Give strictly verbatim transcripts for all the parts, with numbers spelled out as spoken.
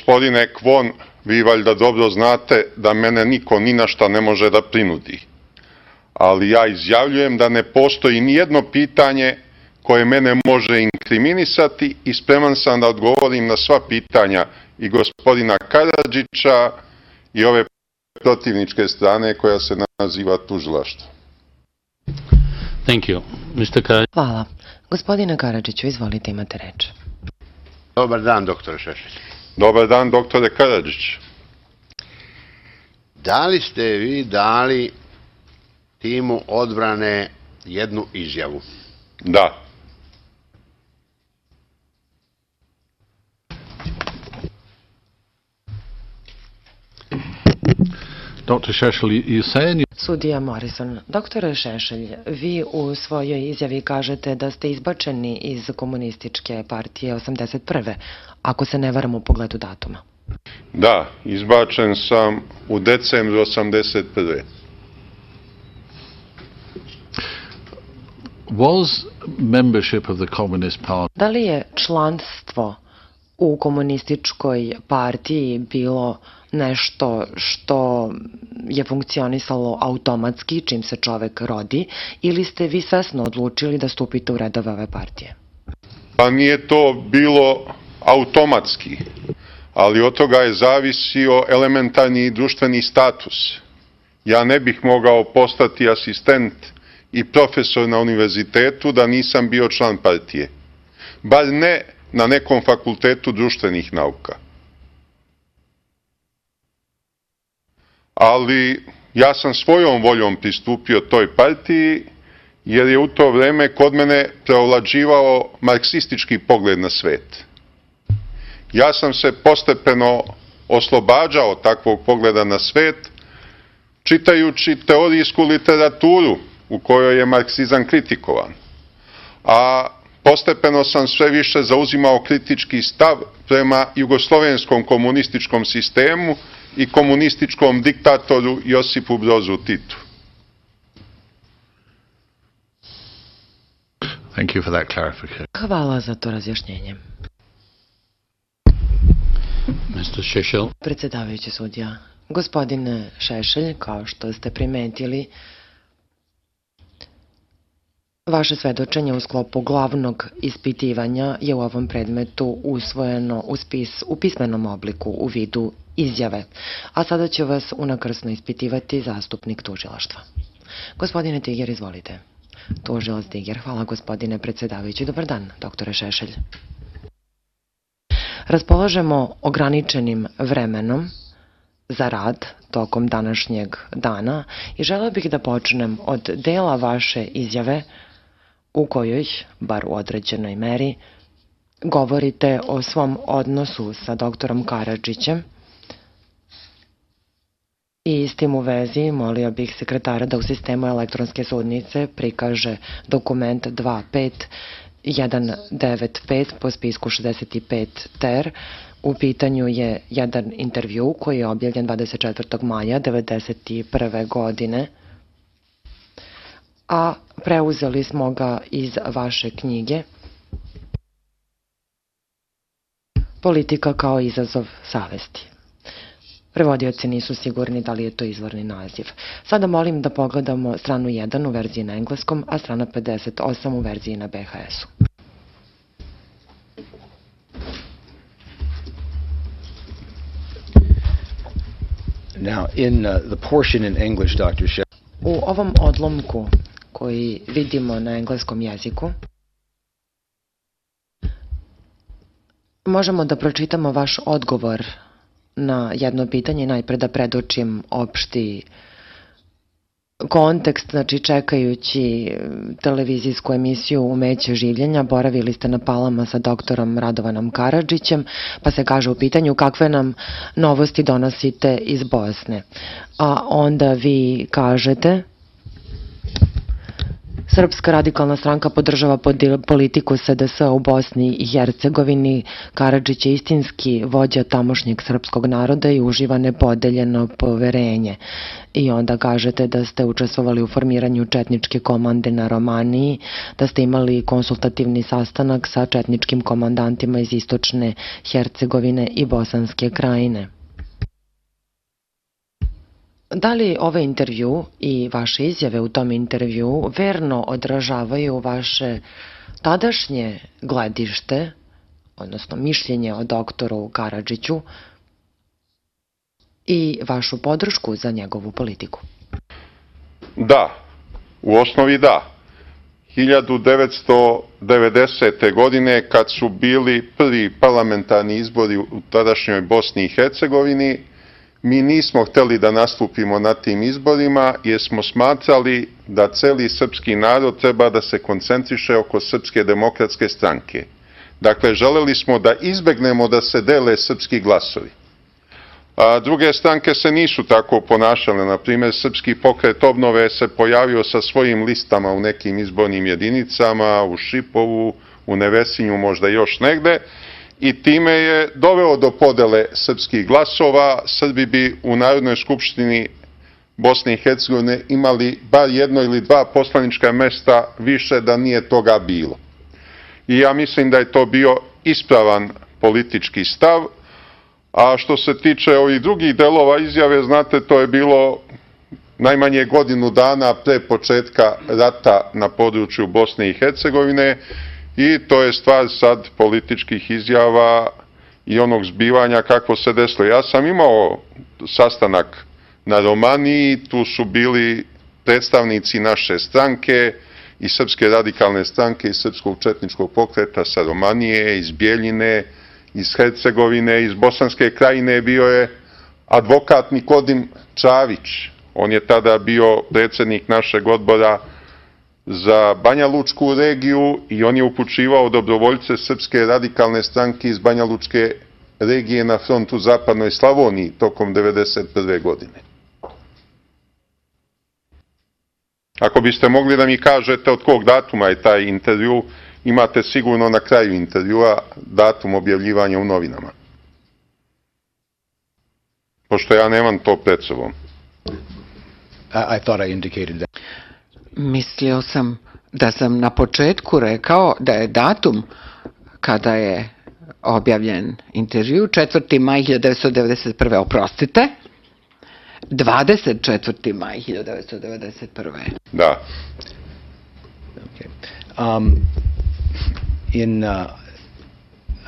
Gospodine Kvon, vi valjda dobro znate da mene niko ni na šta ne može da prinudi. Ali ja izjavljujem da ne postoji ni jedno pitanje koje mene može inkriminisati i spreman sam da odgovorim na sva pitanja i gospodina Karadžića i ove protivničke strane koja se naziva tužilaštvo. Thank you. mister Karadžić. Hvala. Gospodine Karadžiću, izvolite, imate reč. Dobar dan, doktore Šešelj. Dobar dan, doktore Karadžić. Da li ste vi dali timu odbrane jednu izjavu? Da. doktor Šešelj, you say... Sudija Morrison, doktore Šešelj, vi u svojoj izjavi kažete da ste izbačeni iz komunističke partije osamdeset prve, ako se ne varam u pogledu datuma. Da, izbačen sam u decembru osamdeset prve. Was membership of the Communist Party... Da li je članstvo u komunističkoj partiji bilo nešto što je funkcionisalo automatski čim se čovek rodi, ili ste vi svesno odlučili da stupite u redove ove partije? Pa nije to bilo automatski, ali od toga je zavisio elementarni društveni status. Ja ne bih mogao postati asistent i profesor na univerzitetu da nisam bio član partije. Bar ne na nekom fakultetu društvenih nauka. Ali ja sam svojom voljom pristupio toj partiji, jer je u to vreme kod mene preovlađivao marksistički pogled na svet. Ja sam se postepeno oslobađao takvog pogleda na svet, čitajući teorijsku literaturu u kojoj je marksizam kritikovan. A postepeno sam sve više zauzimao kritički stav prema jugoslovenskom komunističkom sistemu i komunističkom diktatoru Josipu Brozu Titu. Thank you for that clarification. Hvala za to razjašnjenje. mister Šešelj. Predsjedavajući sudija, gospodine Šešelj, kao što ste primetili, vaše svedočenje u sklopu glavnog ispitivanja je u ovom predmetu usvojeno u, spis, u pismenom obliku u vidu izjave, a sada će vas unakrsno ispitivati zastupnik tužilaštva. Gospodine Tiger, izvolite. Tužilac Tiger, hvala gospodine predsjedavajući. Dobar dan, doktore Šešelj. Raspolažemo ograničenim vremenom za rad tokom današnjeg dana i želeo bih da počnem od dela vaše izjave u kojoj, bar u određenoj meri, govorite o svom odnosu sa doktorom Karadžićem. I s tim u vezi molio bih sekretara da u sistemu elektronske sudnice prikaže dokument dva pet jedan devet pet po spisku šezdeset pet ter. U pitanju je jedan intervju koji je objavljen dvadeset četvrtog maja devedeset prve. godine, a preuzeli smo ga iz vaše knjige Politika kao izazov savesti. Prevodioci nisu sigurni da li je to izvorni naziv. Sada molim da pogledamo stranu jedan u verziji na engleskom, a strana pedeset osam u verziji na be ha esu. Now, in uh, the portion in English, doctor Shep... U ovom odlomku koji vidimo na engleskom jeziku možemo da pročitamo vaš odgovor na jedno pitanje, najpre da predočim opšti kontekst. Znači, čekajući televizijsku emisiju Umeće življenja, boravili ste na Palama sa doktorom Radovanom Karadžićem, pa se kaže u pitanju kakve nam novosti donosite iz Bosne. A onda vi kažete: Srpska radikalna stranka podržava politiku S D S-a u Bosni i Hercegovini. Karadžić je istinski vođa tamošnjeg srpskog naroda i uživa nepodeljeno poverenje. I onda kažete da ste učestvovali u formiranju četničke komande na Romaniji, da ste imali konsultativni sastanak sa četničkim komandantima iz istočne Hercegovine i Bosanske krajine. Da li ovaj intervju i vaše izjave u tom intervju verno odražavaju vaše tadašnje gledište, odnosno mišljenje o doktoru Karadžiću i vašu podršku za njegovu politiku? Da, u osnovi da. hiljadu devetsto devedesete. godine, kad su bili prvi parlamentarni izbori u tadašnjoj Bosni i Hercegovini, mi nismo hteli da nastupimo na tim izborima jer smo smatrali da celi srpski narod treba da se koncentriše oko Srpske demokratske stranke. Dakle, želeli smo da izbegnemo da se dele srpski glasovi. A druge stranke se nisu tako ponašale. Na primjer, Srpski pokret obnove se pojavio sa svojim listama u nekim izbornim jedinicama, u Šipovu, u Nevesinju, možda još negde, i time je doveo do podele srpskih glasova. Srbi bi u Narodnoj skupštini Bosne i Hercegovine imali bar jedno ili dva poslanička mesta više da nije toga bilo. I ja mislim da je to bio ispravan politički stav. A što se tiče ovih drugih delova izjave, znate, to je bilo najmanje godinu dana pre početka rata na području Bosne i Hercegovine i to je stvar sad političkih izjava i onog zbivanja kako se desilo. Ja sam imao sastanak na Romaniji, tu su bili predstavnici naše stranke i Srpske radikalne stranke i Srpskog četničkog pokreta sa Romanije, iz Bjeljine, iz Hercegovine, iz Bosanske krajine bio je advokat Nikodim Čavić. On je tada bio predsednik našeg odbora za Banja Lučku regiju i on je upućivao dobrovoljce Srpske radikalne stranke iz Banja Lučke regije na front u zapadnoj Slavoniji tokom devedeset prve. godine. Ako biste mogli da mi kažete od kog datuma je taj intervju, imate sigurno na kraju intervjua datum objavljivanja u novinama. Pošto ja nemam to pred sobom. I, I thought I indicated that. Mislio sam da sam na početku rekao da je datum kada je objavljen intervju četvrti maj hiljadu devetsto devedeset prve. Oprostite, dvadeset četvrti maj hiljadu devetsto devedeset prve. Da. Okay. Um, in, uh,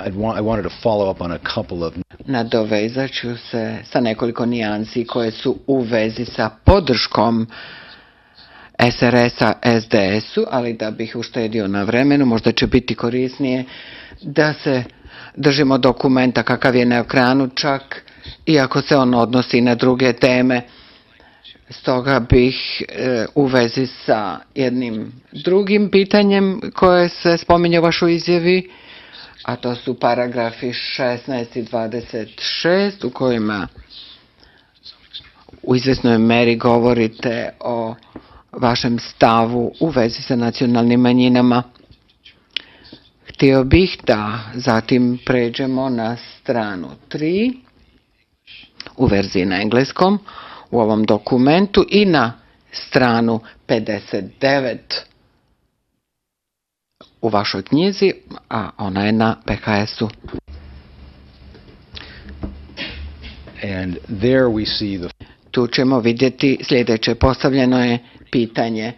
I'd want, I wanted to follow up on a couple of... Nadovezat ću se sa nekoliko nijansi koje su u vezi sa podrškom S R S-a S D S-u, ali da bih uštedio na vremenu, možda će biti korisnije da se držimo dokumenta kakav je na ekranu, čak iako se on odnosi na druge teme. Stoga bih e, u vezi sa jednim drugim pitanjem koje se spominje u vašoj izjavi, a to su paragrafi šesnaest i dvadeset šest u kojima u izvesnoj meri govorite o vašem stavu u vezi sa nacionalnim manjinama. Htio bih da zatim pređemo na stranu tri u verziji na engleskom u ovom dokumentu i na stranu pedeset devet u vašoj knjizi, a ona je na P H S-u. And there we see the... Tu ćemo vidjeti sljedeće. Postavljeno je pitanje.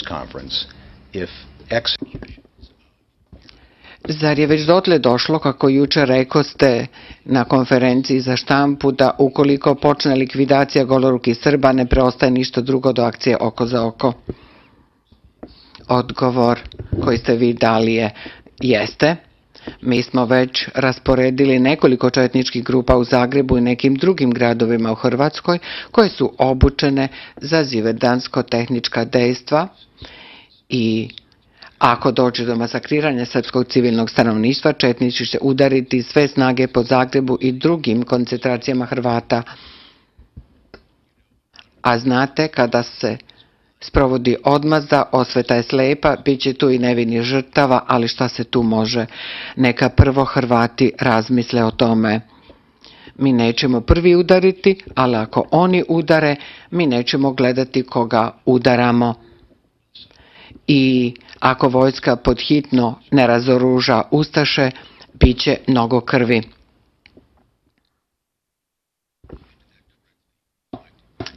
Conference. If X... Zar je već dotle došlo, kako jučer rekoste na konferenciji za štampu, da ukoliko počne likvidacija golorukih Srba ne preostaje ništa drugo do akcije oko za oko? Odgovor koji ste vi dali je jeste. Mi smo već rasporedili nekoliko četničkih grupa u Zagrebu i nekim drugim gradovima u Hrvatskoj koje su obučene za ziverdansko-tehnička dejstva i ako dođe do masakriranja srpskog civilnog stanovništva, četnici će udariti sve snage po Zagrebu i drugim koncentracijama Hrvata. A znate, kada se sprovodi odmazda, osveta je slepa, bit će tu i nevini žrtava, ali šta se tu može? Neka prvo Hrvati razmisle o tome. Mi nećemo prvi udariti, ali ako oni udare, mi nećemo gledati koga udaramo. I ako vojska podhitno ne razoruža ustaše, bit će mnogo krvi.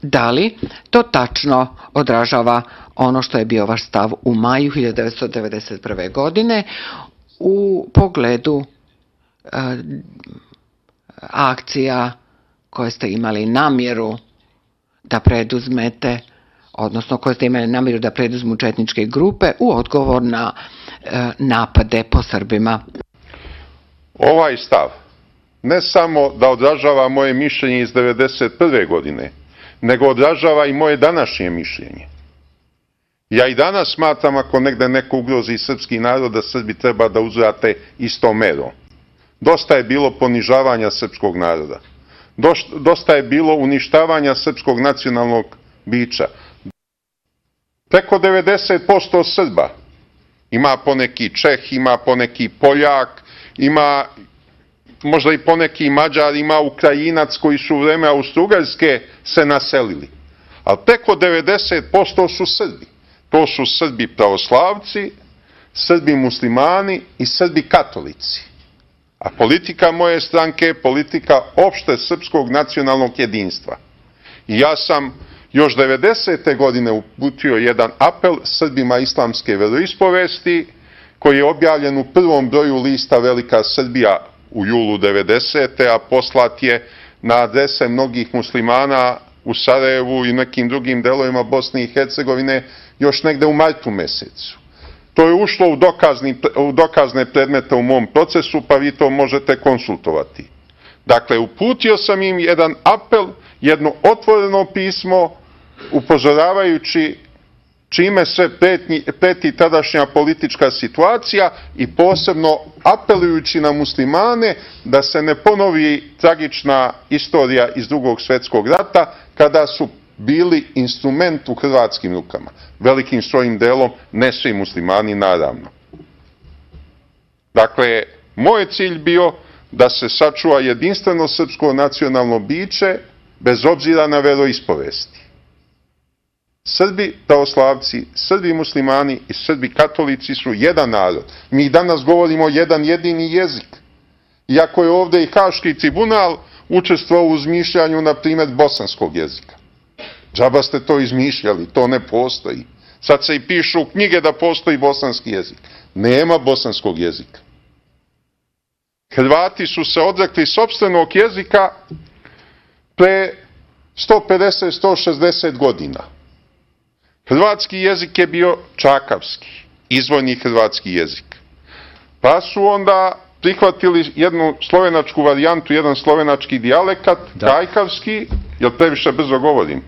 Da li to tačno odražava ono što je bio vaš stav u maju hiljadu devetsto devedeset prve. godine u pogledu e, akcija koje ste imali namjeru da preduzmete, odnosno koje ste imali namjeru da preduzmu četničke grupe u odgovor na e, napade po Srbima? Ovaj stav ne samo da odražava moje mišljenje iz devedeset prve. godine, nego odražava i moje današnje mišljenje. Ja i danas smatram, ako negde neko ugrozi srpski narod, da Srbi treba da uzvrate istom merom. Dosta je bilo ponižavanja srpskog naroda. Dosta je bilo uništavanja srpskog nacionalnog bića. Preko devedeset posto Srba, ima poneki Čeh, ima poneki Poljak, ima možda i poneki Mađar, ima Ukrajinac koji su u vreme Austro-Ugarske se naselili. Ali preko devedeset posto su Srbi. To su Srbi pravoslavci, Srbi muslimani i Srbi katolici. A politika moje stranke je politika opšte srpskog nacionalnog jedinstva. I ja sam još devedesete. godine uputio jedan apel Srbima islamske veroispovesti, koji je objavljen u prvom broju lista Velika Srbija u julu devedesete. a poslat je na adrese mnogih muslimana u Sarajevu i nekim drugim delovima Bosne i Hercegovine još negde u martu mesecu. To je ušlo u, dokazni, u dokazne predmete u mom procesu, pa vi to možete konsultovati. Dakle, uputio sam im jedan apel, jedno otvoreno pismo, upozoravajući čime sve pretnji, preti tadašnja politička situacija i posebno apelujući na muslimane da se ne ponovi tragična istorija iz Drugog svjetskog rata, kada su bili instrument u hrvatskim rukama. Velikim svojim delom, ne svi muslimani, naravno. Dakle, moj cilj bio da se sačuva jedinstveno srpsko nacionalno biće, bez obzira na veroispovesti. Srbi pravoslavci, Srbi muslimani i Srbi katolici su jedan narod. Mi danas govorimo jedan jedini jezik. Iako je ovde i Haški tribunal učestvovao u izmišljanju, na primjer, bosanskog jezika. Džaba ste to izmišljali, to ne postoji. Sad se i pišu knjige da postoji bosanski jezik. Nema bosanskog jezika. Hrvati su se odrekli sopstvenog jezika pre sto pedeset do sto šezdeset godina. Hrvatski jezik je bio čakavski, izvorni hrvatski jezik. Pa su onda prihvatili jednu slovenačku varijantu, jedan slovenački dijalekat, da. Kajkavski, jel previše brzo govorim?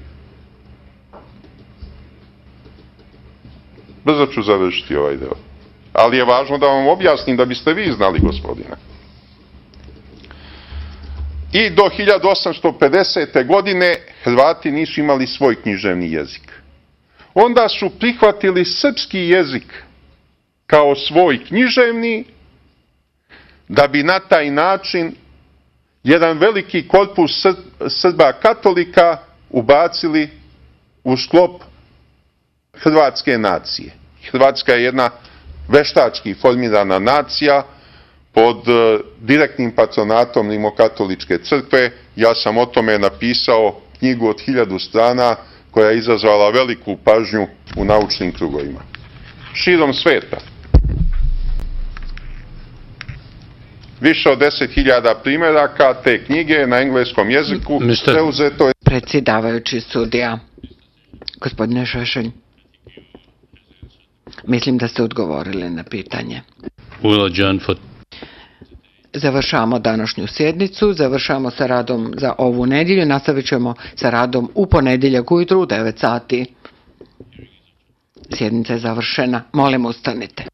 Brzo ću završiti ovaj deo. Ali je važno da vam objasnim da biste vi znali, gospodine. I do hiljadu osamsto pedesete. godine Hrvati nisu imali svoj književni jezik. Onda su prihvatili srpski jezik kao svoj književni, da bi na taj način jedan veliki korpus Srba katolika ubacili u sklop hrvatske nacije. Hrvatska je jedna veštački formirana nacija pod direktnim patronatom Rimokatoličke crkve. Ja sam o tome napisao knjigu od hiljadu strana koja je izazvala veliku pažnju u naučnim krugovima. Širom sveta. Više od deset hiljada primjeraka te knjige na engleskom jeziku preuzeto je... Predsjedavajući sudija, gospodine Šešelj, mislim da ste odgovorili na pitanje. Završamo današnju sjednicu, završamo sa radom za ovu nedjelju, nastavit ćemo sa radom u ponedjeljak ujutru u devet sati. Sjednica je završena. Molim, ustanite.